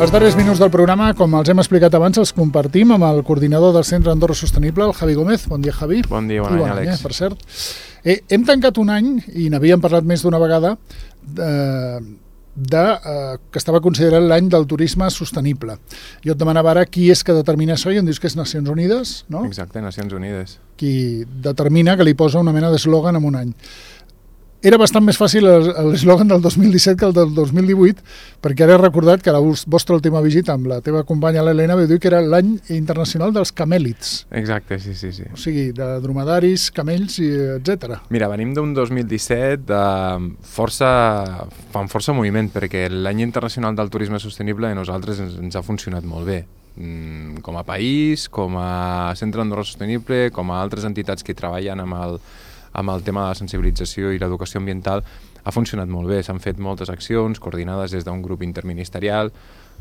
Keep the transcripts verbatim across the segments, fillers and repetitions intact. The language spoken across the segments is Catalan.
Els darrers minuts del programa, com els hem explicat abans, els compartim amb el coordinador del Centre Andorra Sostenible, el Javi Gómez. Bon dia, Javi. Bon dia, bon any, Àlex. Eh, per cert. Eh, hem tancat un any, i n'havíem parlat més d'una vegada, eh, de, eh, que estava considerat l'any del turisme sostenible. Jo et demanava ara qui és que determina això i em dius que és Nacions Unides, no? Exacte, Nacions Unides. Qui determina que li posa una mena d'eslògan en un any. Era bastant més fàcil l'eslògan del dos mil disset que el del dos mil divuit, perquè ara he recordat que la vostra última visita amb la teva companya l'Helena vau dir que era l'any internacional dels camèlids. Exacte, sí, sí, sí. O sigui, de dromedaris, camells, i etcètera. Mira, venim d'un dos mil disset de força, fan força moviment, perquè l'any internacional del turisme sostenible a nosaltres ens, ens ha funcionat molt bé. Com a país, com a Centre Andorra Sostenible, com a altres entitats que treballen amb el amb el tema de la sensibilització i l'educació ambiental, ha funcionat molt bé. S'han fet moltes accions coordinades des d'un grup interministerial.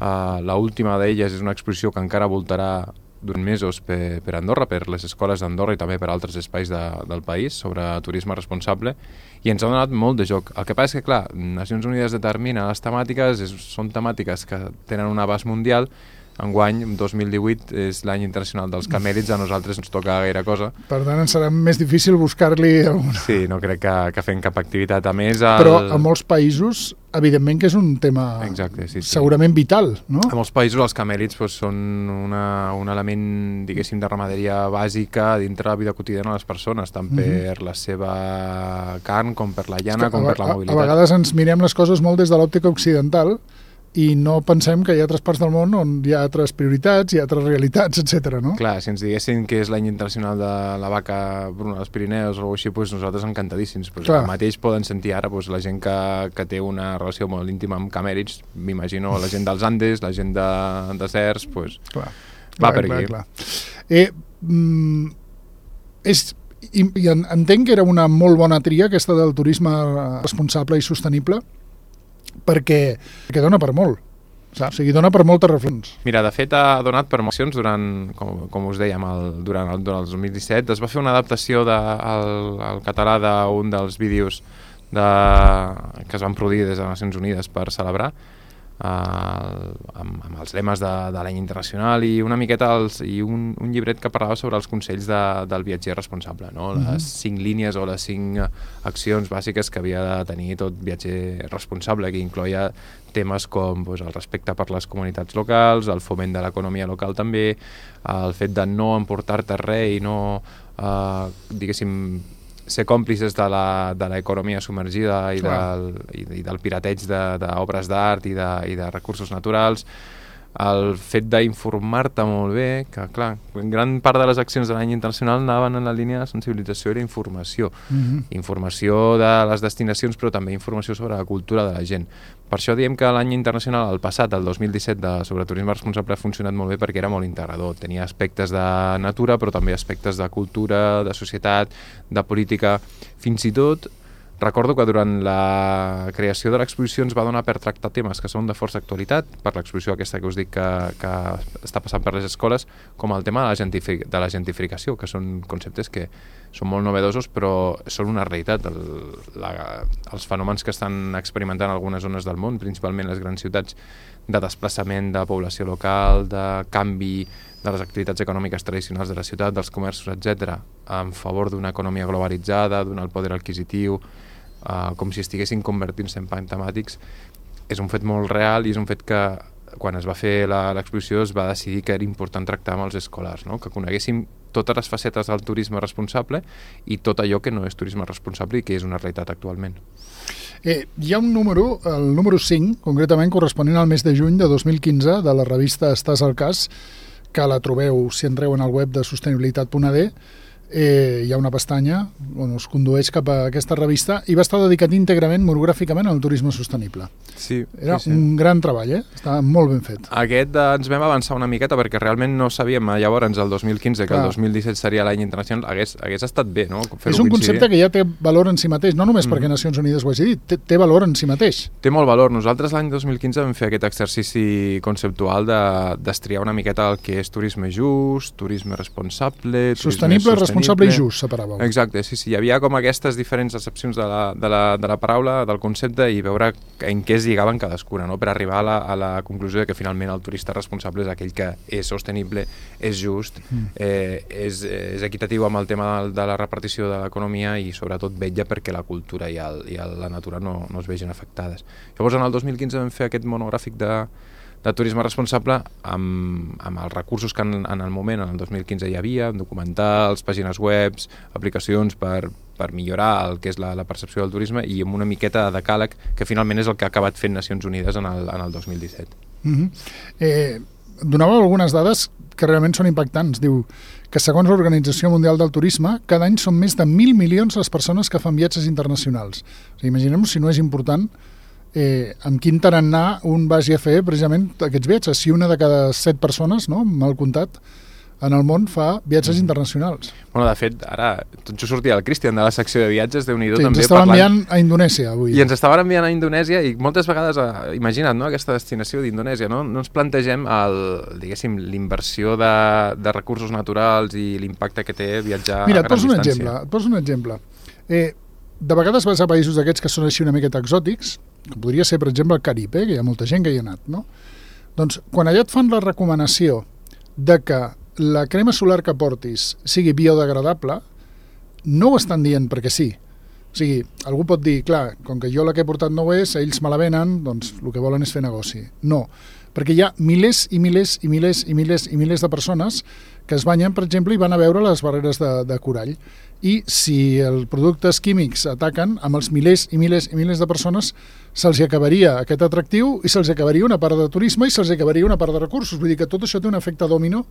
Uh, L'última d'elles és una exposició que encara voltarà durant mesos per, per Andorra, per les escoles d'Andorra i també per altres espais de, del país sobre turisme responsable, i ens ha donat molt de joc. El que passa és que, clar, Nacions Unides determina les temàtiques, és, són temàtiques que tenen un abast mundial. Enguany, dos mil divuit, és l'any internacional dels camèlids, a nosaltres ens toca gaire cosa. Per tant, ens serà més difícil buscar-li alguna... Sí, no crec que, que fem cap activitat. A més... El... Però a molts països, evidentment que és un tema Exacte, sí, sí. segurament vital, no? A molts països els camèlids pues, són una, un element, diguéssim, de ramaderia bàsica dintre la vida quotidiana de les persones, tant per mm-hmm. la seva carn, com per la llana, com a, per la mobilitat. A vegades ens mirem les coses molt des de l'òptica occidental, i no pensem que hi ha altres parts del món on hi ha altres prioritats, hi ha altres realitats, etcètera, no? Clar, si ens diguessin que és l'any internacional de la vaca bruna dels Pirineus o alguna cosa així, doncs nosaltres encantadíssims. Pues el mateix poden sentir ara pues, la gent que, que té una relació molt íntima amb camèlids, m'imagino la gent dels Andes, la gent de deserts, pues, clar, va clar, per clar, aquí. Clar. Eh, mm, és, i, i entenc que era una molt bona tria aquesta del turisme responsable i sostenible, perquè, perquè dona per molt, saps? O sigui, dona per moltes reflexions. Mira, de fet ha donat per mocions durant, com, com us dèiem, el, durant, el, durant el dos mil disset. Es va fer una adaptació de, al, al català d'un dels vídeos de, que es van produir des de Nacions Unides per celebrar, Uh, amb, amb els lemes de, de l'any internacional i una miqueta els, i un, un llibret que parlava sobre els consells de, del viatger responsable, no? Les mm-hmm. cinc línies o les cinc accions bàsiques que havia de tenir tot viatger responsable, que incloïa temes com doncs, el respecte per les comunitats locals, el foment de l'economia local també, el fet de no emportar-te res i no, uh, diguéssim, ser còmplices de l'economia submergida i del, i, i del pirateig d'obres d'art i, de, i de recursos naturals, el fet d'informar-te molt bé, que clar, gran part de les accions de l'any internacional anaven en la línia de sensibilització i d'informació. Mm-hmm. Informació de les destinacions, però també informació sobre la cultura de la gent. Per això diem que l'any internacional, el passat, el dos mil disset, de, sobre turisme responsable, ha funcionat molt bé perquè era molt integrador. Tenia aspectes de natura, però també aspectes de cultura, de societat, de política. Fins i tot, recordo que durant la creació de l'exposició ens va donar per tractar temes que són de força actualitat, per l'exposició aquesta que us dic que, que està passant per les escoles, com el tema de la, gentific de la gentrificació, que són conceptes que són molt novedosos, però són una realitat. El, la, els fenòmens que estan experimentant algunes zones del món, principalment les grans ciutats, de desplaçament de població local, de canvi de les activitats econòmiques tradicionals de la ciutat, dels comerços, etcètera, en favor d'una economia globalitzada, d'un alt poder adquisitiu, Uh, com si estiguessin convertint-se en parcs temàtics, és un fet molt real i és un fet que quan es va fer l'exposició es va decidir que era important tractar amb els escolars, no? Que coneguéssim totes les facetes del turisme responsable i tot allò que no és turisme responsable i que és una realitat actualment. Eh, hi ha un número, el número cinc, concretament corresponent al mes de juny de dos mil quinze, de la revista Estàs al cas, que la trobeu si entreu en el web de sostenibilitat punt a d. Eh, hi ha una pestanya on us condueix cap a aquesta revista i va estar dedicat íntegrament, monogràficament, al turisme sostenible. Sí, Era sí, sí. un gran treball, eh? Estava molt ben fet. Aquest eh, ens vam avançar una miqueta perquè realment no sabíem llavors, el dos mil quinze, que Clar. el dos mil disset seria l'any internacional, hagués, hagués estat bé, no? És un concepte que ja té valor en si mateix, no només mm. perquè Nacions Unides ho hagi dit, té, té valor en si mateix. Té molt valor. Nosaltres l'any dos mil quinze vam fer aquest exercici conceptual de destriar una miqueta el que és turisme just, turisme responsable, turisme sostenible, sostenible responsable i just, separàveu. Exacte, sí, sí. Hi havia com aquestes diferents accepcions de la, de la, de la paraula, del concepte, i veure en què es lligaven cadascuna, no? Per arribar a la, a la conclusió de que finalment el turista responsable és aquell que és sostenible, és just, mm. eh, és, és equitatiu amb el tema de, de la repartició de l'economia i sobretot vetlla perquè la cultura i, el, i el, la natura no, no es vegin afectades. Llavors en el dos mil quinze vam fer aquest monogràfic de de turisme responsable amb, amb els recursos que en, en el moment, en el dos mil quinze hi havia, documentals, pàgines webs, aplicacions per, per millorar el que és la, la percepció del turisme i amb una miqueta de decàleg que finalment és el que ha acabat fent Nacions Unides en el, en el dos mil disset. Mm-hmm. eh, donàveu algunes dades que realment són impactants. Diu que segons l'Organització Mundial del Turisme, cada any són més de mil milions les persones que fan viatges internacionals. O sigui, imaginem si no és important Eh, amb quin tarannà un vagi a fer precisament aquests viatges. Si una de cada set persones, no, mal comptat, en el món fa viatges mm. internacionals. Bueno, de fet, ara tot just sortia el Cristian de la secció de viatges, Déu-n'hi-do, sí, també ens estava parlant... enviant a Indonèsia avui. I ens estaven enviant a Indonèsia i moltes vegades, eh, imagina't, no, aquesta destinació d'Indonèsia, no? No ens plantegem el, diguéssim, l'inversió de, de recursos naturals i l'impacte que té viatjar Mira, a gran distància. Mira, et et poso un exemple. Eh, de vegades vas a països d'aquests que són així una miqueta exòtics, que podria ser, per exemple, el Carib, eh, que hi ha molta gent que hi ha anat, no? Doncs, quan allà et fan la recomanació de que la crema solar que portis sigui biodegradable, no ho estan dient perquè sí. O sigui, algú pot dir, clar, com que jo la que he portat no ho és, ells me la venen, doncs el que volen és fer negoci. No, perquè hi ha milers i milers i milers i milers i milers de persones que es banyen, per exemple, i van a veure les barreres de, de corall. I si els productes químics ataquen, amb els milers i milers i milers de persones se'ls acabaria aquest atractiu i se'ls acabaria una part de turisme i se'ls acabaria una part de recursos. Vull dir que tot això té un efecte domino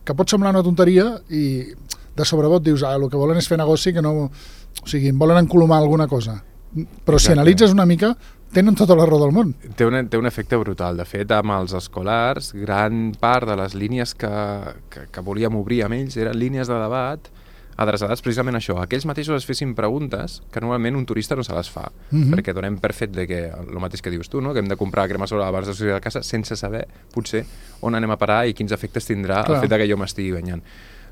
que pot semblar una tonteria i de sobrebot dius, ah, el que volen és fer negoci, que no... O sigui, volen encolomar alguna cosa. Però Exacte. Si analitzes una mica, tenen tota la raó del món. Té un, té un efecte brutal. De fet, amb els escolars, gran part de les línies que, que, que volíem obrir amb ells eren línies de debat adreçades precisament a això. Aquells mateixos es fessin preguntes que normalment un turista no se les fa, mm-hmm. perquè donem per fet de que, el mateix que dius tu, no? Que hem de comprar crema solar abans de sortir de casa sense saber, potser, on anem a parar i quins efectes tindrà Clar. El fet de que jo m'estigui banyant.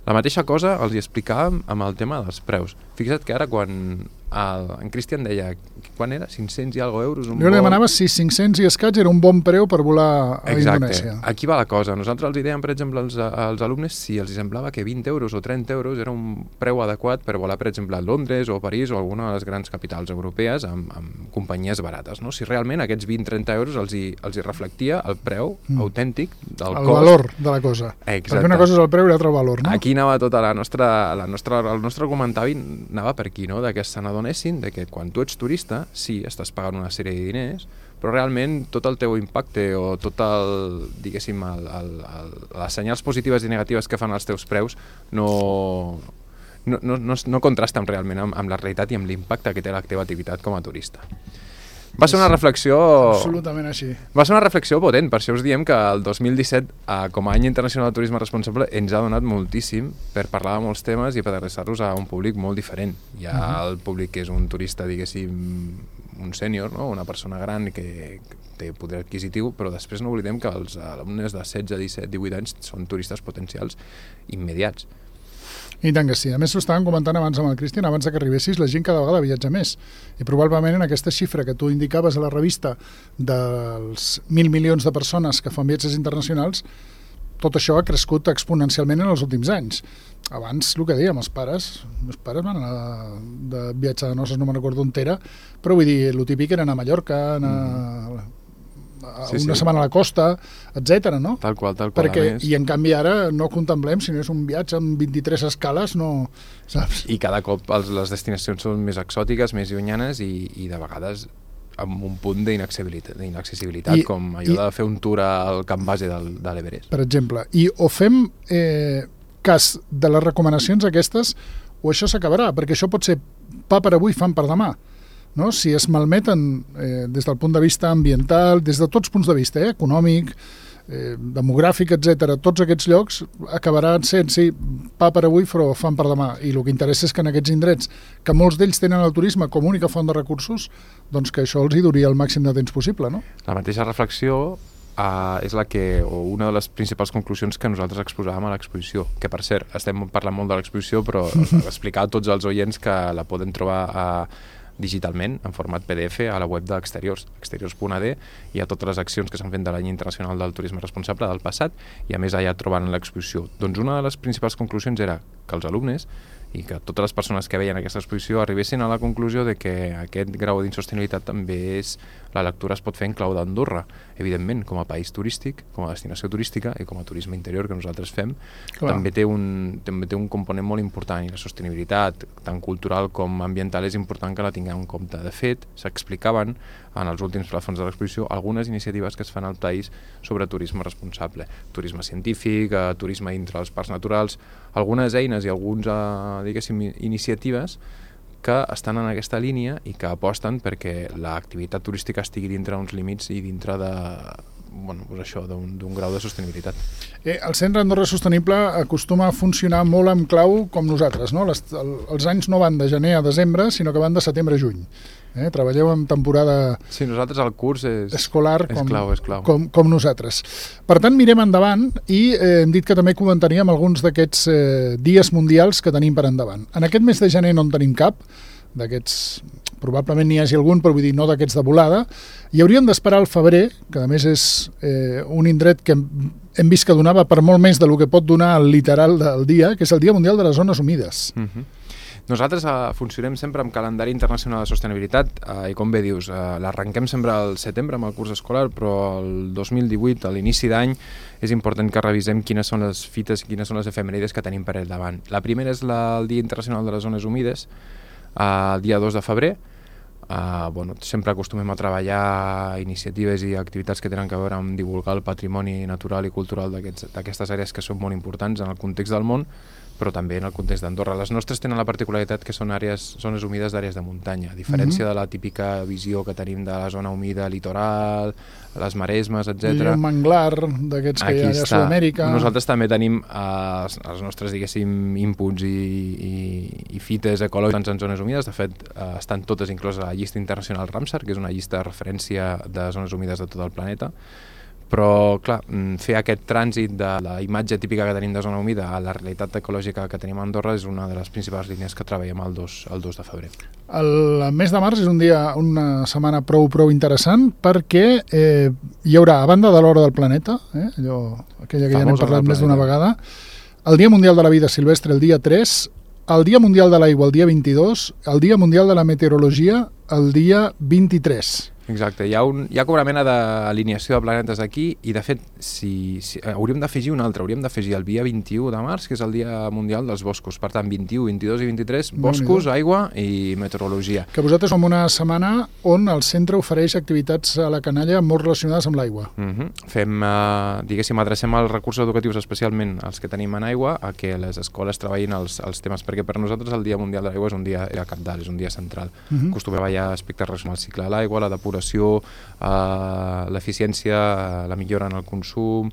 La mateixa cosa els hi explicàvem amb el tema dels preus. Fixa't que ara quan el, en Cristian deia, quan era? cinc-cents i alguna euros? Un jo li demanava si cinc-cents i escaig era un bon preu per volar a Exacte. Indonèsia. Aquí va la cosa. Nosaltres els dèiem, per exemple, als, als alumnes si els semblava que vint euros o trenta euros era un preu adequat per volar, per exemple, a Londres o a París o a alguna de les grans capitals europees amb, amb companyies barates. No? Si realment aquests vint-trenta euros els hi, els hi reflectia el preu mm. autèntic del el cost. El valor de la cosa. Exacte. Perquè una cosa és el preu i l'altra el valor, no? Aquí anava tota la nostra... La nostra el nostre comentari anava per aquí, no? De que se n'adonessin de que quan tu ets turista, sí, estàs pagant una sèrie de diners, però realment tot el teu impacte o tot el, diguéssim, el, el, el, les senyals positives i negatives que fan els teus preus no, no, no, no, no contrasten realment amb, amb la realitat i amb l'impacte que té la teva activitat com a turista. Va ser una reflexió... Absolutament així. Va ser una reflexió potent, per això us diem que el dos mil disset, eh, com a any internacional de turisme responsable, ens ha donat moltíssim per parlar de molts temes i per adreçar-los a un públic molt diferent. Hi ha uh-huh. el públic que és un turista, diguéssim, un sènior, no? Una persona gran que té poder adquisitiu, però després no oblidem que els alumnes de setze, disset, divuit anys són turistes potencials immediats. I tant que sí. A més, ho estàvem comentant abans amb el Cristian, abans que arribessis, la gent cada vegada viatja més. I probablement en aquesta xifra que tu indicaves a la revista dels mil milions de persones que fan viatges internacionals, tot això ha crescut exponencialment en els últims anys. Abans, el que dèiem, els pares, els pares van anar de viatge de noces, no me'n recordo on era, però vull dir, el típic era anar a Mallorca, anar... Mm. Sí, una sí. setmana a la costa, etcètera, no? Tal qual, tal qual. Perquè, I en canvi ara no contemplem, si no és un viatge amb vint-i-tres escales, no... Saps? I cada cop els, les destinacions són més exòtiques, més llunyanes i, i de vegades amb un punt d'inaccessibilitat, I, com allò i, de fer un tour al camp base del, de l'Everest. Per exemple, i o fem eh, cas de les recomanacions aquestes o això s'acabarà, perquè això pot ser pa per avui, fam per demà. No? Si es malmeten eh, des del punt de vista ambiental, des de tots punts de vista, eh, econòmic, eh, demogràfic, etcètera, tots aquests llocs acabaran sent, sí, pa per avui, però fan per demà. I el que interessa és que en aquests indrets, que molts d'ells tenen el turisme com a única font de recursos, doncs que això els hi duri el màxim de temps possible, no? La mateixa reflexió uh, és la que, o una de les principals conclusions que nosaltres exposàvem a l'exposició, que per cert, estem parlant molt de l'exposició, però explicar a tots els oients que la poden trobar a uh, digitalment, en format P D F, a la web d'Exteriors, exteriors punt a d, i a totes les accions que s'han fet de l'any internacional del turisme responsable del passat, i a més allà troben l'exposició. Doncs una de les principals conclusions era que els alumnes i que totes les persones que veien aquesta exposició arribessin a la conclusió de que aquest grau d'insostenibilitat també és, la lectura es pot fer en clau d'Andorra, evidentment, com a país turístic, com a destinació turística i com a turisme interior que nosaltres fem, Clar. també té un també té un component molt important, i la sostenibilitat, tant cultural com ambiental, és important que la tinguem en compte. De fet, s'explicaven en els últims plafons de l'exposició algunes iniciatives que es fan al país sobre turisme responsable, turisme científic, eh, turisme dintre dels parcs naturals, algunes eines i alguns, eh, diguéssim, iniciatives que estan en aquesta línia i que aposten perquè l'activitat turística estigui dintre uns límits i dintre de, bueno, doncs això, d'un grau de sostenibilitat. Eh, el Centre Andorra Sostenible acostuma a funcionar molt amb clau com nosaltres, no? Les, el, els anys no van de gener a desembre, sinó que van de setembre a juny. Eh? Treballeu en temporada sí, nosaltres el curs és, escolar és com, clau, és clau. Com, com nosaltres. Per tant, mirem endavant i eh, hem dit que també comentaríem alguns d'aquests eh, dies mundials que tenim per endavant. En aquest mes de gener no en tenim cap, d'aquests probablement n'hi hagi algun, però vull dir no d'aquests de volada, i hauríem d'esperar al febrer, que a més és eh, un indret que hem, hem vist que donava per molt més del que pot donar el literal del dia, que és el Dia Mundial de les Zones Humides. Uh-huh. Nosaltres uh, funcionem sempre amb calendari internacional de sostenibilitat uh, i com bé dius, uh, l'arrenquem sempre al setembre amb el curs escolar, però el dos mil divuit, a l'inici d'any, és important que revisem quines són les fites, quines són les efemèrides que tenim per al davant. La primera és la, el Dia Internacional de les Zones Humides, uh, el dia dos de febrer. Uh, bueno, sempre acostumem a treballar iniciatives i activitats que tenen a veure amb divulgar el patrimoni natural i cultural d'aquestes àrees que són molt importants en el context del món, però també en el context d'Andorra. Les nostres tenen la particularitat que són àrees, zones humides d'àrees de muntanya, a diferència mm-hmm. de la típica visió que tenim de la zona humida litoral, les maresmes, etcètera. I un manglar d'aquests que hi ha a Sud-amèrica. Nosaltres també tenim eh, els nostres, diguéssim, inputs i, i, i fites ecològiques en zones humides. De fet, eh, estan totes incloses a la llista internacional Ramsar, que és una llista de referència de zones humides de tot el planeta. Però, clar, fer aquest trànsit de la imatge típica que tenim de zona humida a la realitat ecològica que tenim a Andorra és una de les principals línies que treballem el dos de febrer. El mes de març és un dia, una setmana prou prou interessant perquè eh, hi haurà, a banda de l'Hora del Planeta, eh, allò, aquella que ja n'hem parlat més d'una vegada, el Dia Mundial de la Vida Silvestre el dia tres, el Dia Mundial de l'Aigua el dia vint-i-dos, el Dia Mundial de la Meteorologia el dia vint-i-tres. Exacte, hi ha, un, hi ha com una mena d'alineació de planetes aquí i de fet si, si, hauríem d'afegir un altre, hauríem d'afegir el dia vint-i-u de març, que és el Dia Mundial dels Boscos. Per tant, vint-i-u, vint-i-dos i vint-i-tres, boscos, aigua i meteorologia. Que vosaltres som una setmana on el centre ofereix activitats a la canalla molt relacionades amb l'aigua. Uh-huh. Fem, uh, diguéssim, adrecem els recursos educatius, especialment els que tenim en aigua, a que les escoles treballin els, els temes, perquè per nosaltres el Dia Mundial de l'Aigua és un dia cabdal, és un dia central. Uh-huh. Acostumem a treballar aspectes relacionats amb el cicle de l'aigua, la depuració, Uh, l'eficiència, uh, la millora en el consum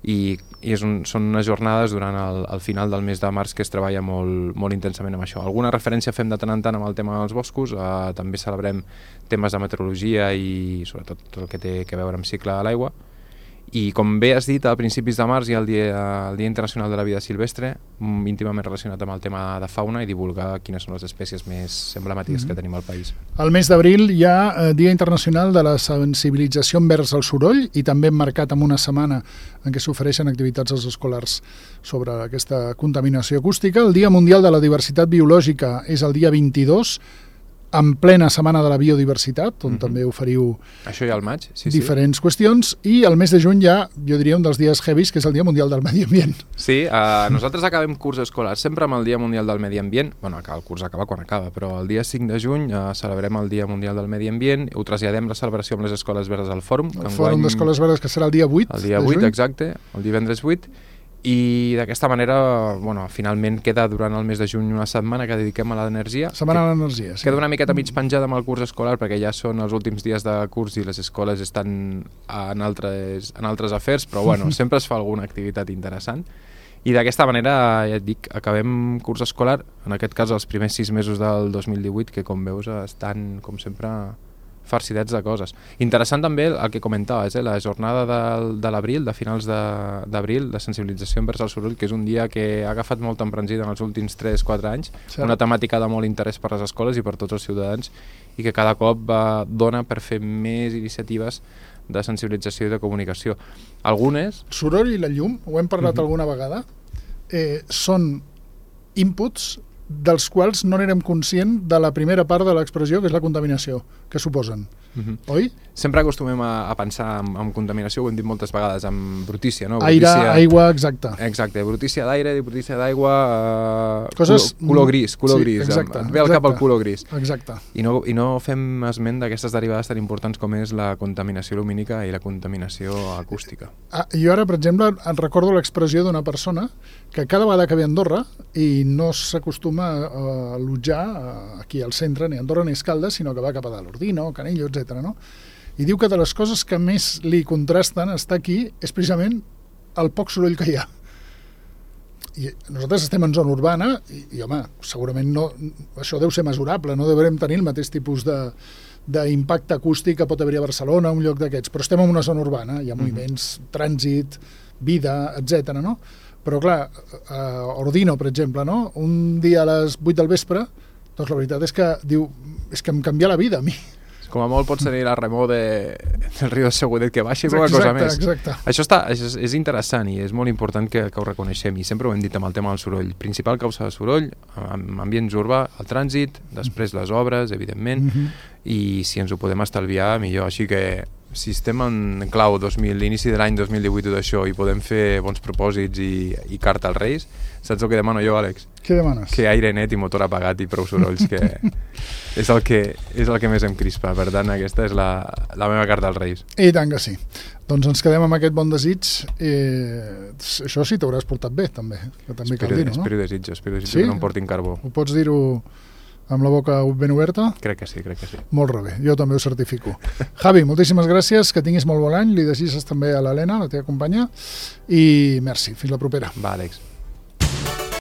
i, i és un, són unes jornades durant el, el final del mes de març que es treballa molt, molt intensament amb això. Alguna referència fem de tant en tant amb el tema dels boscos, uh, també celebrem temes de meteorologia i sobretot tot el que té a veure amb cicle de l'aigua. I com bé has dit, a principis de març hi ha el Dia, el Dia Internacional de la Vida Silvestre, íntimament relacionat amb el tema de fauna i divulgar quines són les espècies més emblemàtiques mm-hmm. que tenim al país. Al mes d'abril hi ha eh, Dia Internacional de la Sensibilització envers el soroll i també marcat amb una setmana en què s'ofereixen activitats als escolars sobre aquesta contaminació acústica. El Dia Mundial de la Diversitat Biològica és el dia vint-i-dos, en plena setmana de la biodiversitat, on mm-hmm. també oferiu això ja al maig, sí, diferents sí. qüestions, i el mes de juny ja, jo diria, un dels dies heavies, que és el Dia Mundial del Medi Ambient. Sí, uh, nosaltres acabem curs escolar sempre amb el Dia Mundial del Medi Ambient, bueno, el curs acaba quan acaba, però el dia cinc de juny uh, celebrem el Dia Mundial del Medi Ambient, ho traslladem la celebració amb les Escoles Verdes al Fòrum. El Fòrum d'Escoles Verdes, que serà el dia vuit El dia vuit, exacte, el divendres vuit, i d'aquesta manera, bueno, finalment queda durant el mes de juny una setmana que dediquem a l'energia. Setmana a l'energia, sí. Queda una miqueta mig penjada amb el curs escolar perquè ja són els últims dies de curs i les escoles estan en altres, en altres afers, però bueno, sempre es fa alguna activitat interessant. I d'aquesta manera, ja et dic, acabem curs escolar, en aquest cas els primers sis mesos del dos mil divuit, que com veus estan, com sempre, farcidets de coses. Interessant també el que comentaves, eh? la jornada de, de l'abril, de finals d'abril, de, de sensibilització envers el soroll, que és un dia que ha agafat molta embranzida en els últims tres quatre anys, sí. Una temàtica de molt interès per les escoles i per tots els ciutadans, i que cada cop va, dona per fer més iniciatives de sensibilització i de comunicació. Algunes... Soroll i la llum, ho hem parlat uh-huh. alguna vegada, eh, són inputs dels quals no n'érem conscient de la primera part de l'expressió, que és la contaminació, que suposen. Uh-huh. Oi? Sempre acostumem a, a pensar en, en contaminació, ho hem dit moltes vegades, amb brutícia, no? Aire, brutícia, aigua, exacte. Exacte, brutícia d'aire, brutícia d'aigua, uh, coses... color, color gris, color sí, gris, exacte, em ve al cap el color gris. Exacte. I no, I no fem esment d'aquestes derivades tan importants com és la contaminació lumínica i la contaminació acústica. Ah, jo ara, per exemple, em recordo l'expressió d'una persona que cada vegada que ve a Andorra i no s'acostuma a allotjar aquí al centre, ni a Andorra ni a Escaldes, sinó que va cap a dalt, Ordino, Canillo, etcètera, no? I diu que de les coses que més li contrasten estar aquí és precisament el poc soroll que hi ha. I nosaltres estem en zona urbana i, i home, segurament no, això deu ser mesurable, no devem tenir el mateix tipus de d'impacte acústic que pot haver a Barcelona, un lloc d'aquests, però estem en una zona urbana, hi ha moviments, mm-hmm. trànsit, vida, etcètera, no? Però clar, a Ordino, per exemple, no? Un dia a les vuit del vespre, doncs la veritat és que diu, és que em canvia la vida a mi. Com a molt pot tenir la remor de, del riu de Segudet que baixi, alguna cosa més. Exacte. Això està, és, és interessant i és molt important que, que ho reconeixem, i sempre ho hem dit amb el tema del soroll. Principal causa de soroll, en ambients urbà, el trànsit, després les obres, evidentment, mm-hmm. i si ens ho podem estalviar, millor. Així que si estem en clau dos mil, l'inici de l'any dos mil divuit d'això, i podem fer bons propòsits i, i carta als Reis, saps el que demano jo, Àlex? Què demanes? Que aire net i motor apagat i prou sorolls, que és el que, és el que més em crispa. Per tant, aquesta és la, la meva carta als Reis. I tant que sí. Doncs ens quedem amb aquest bon desig. Eh, això sí t'hauràs portat bé, també. Que també espero, cal dir-ho, no? Espero desitjo, espero desitjo sí? que no em portin carbó. Ho pots dir-ho amb la boca ben oberta? Crec que sí, crec que sí. Molt bé, jo també ho certifico. Javi, moltíssimes gràcies, que tinguis molt bon any, li desitges també a l'Helena, la teva companya, i merci, fins la propera. Va, Àlex.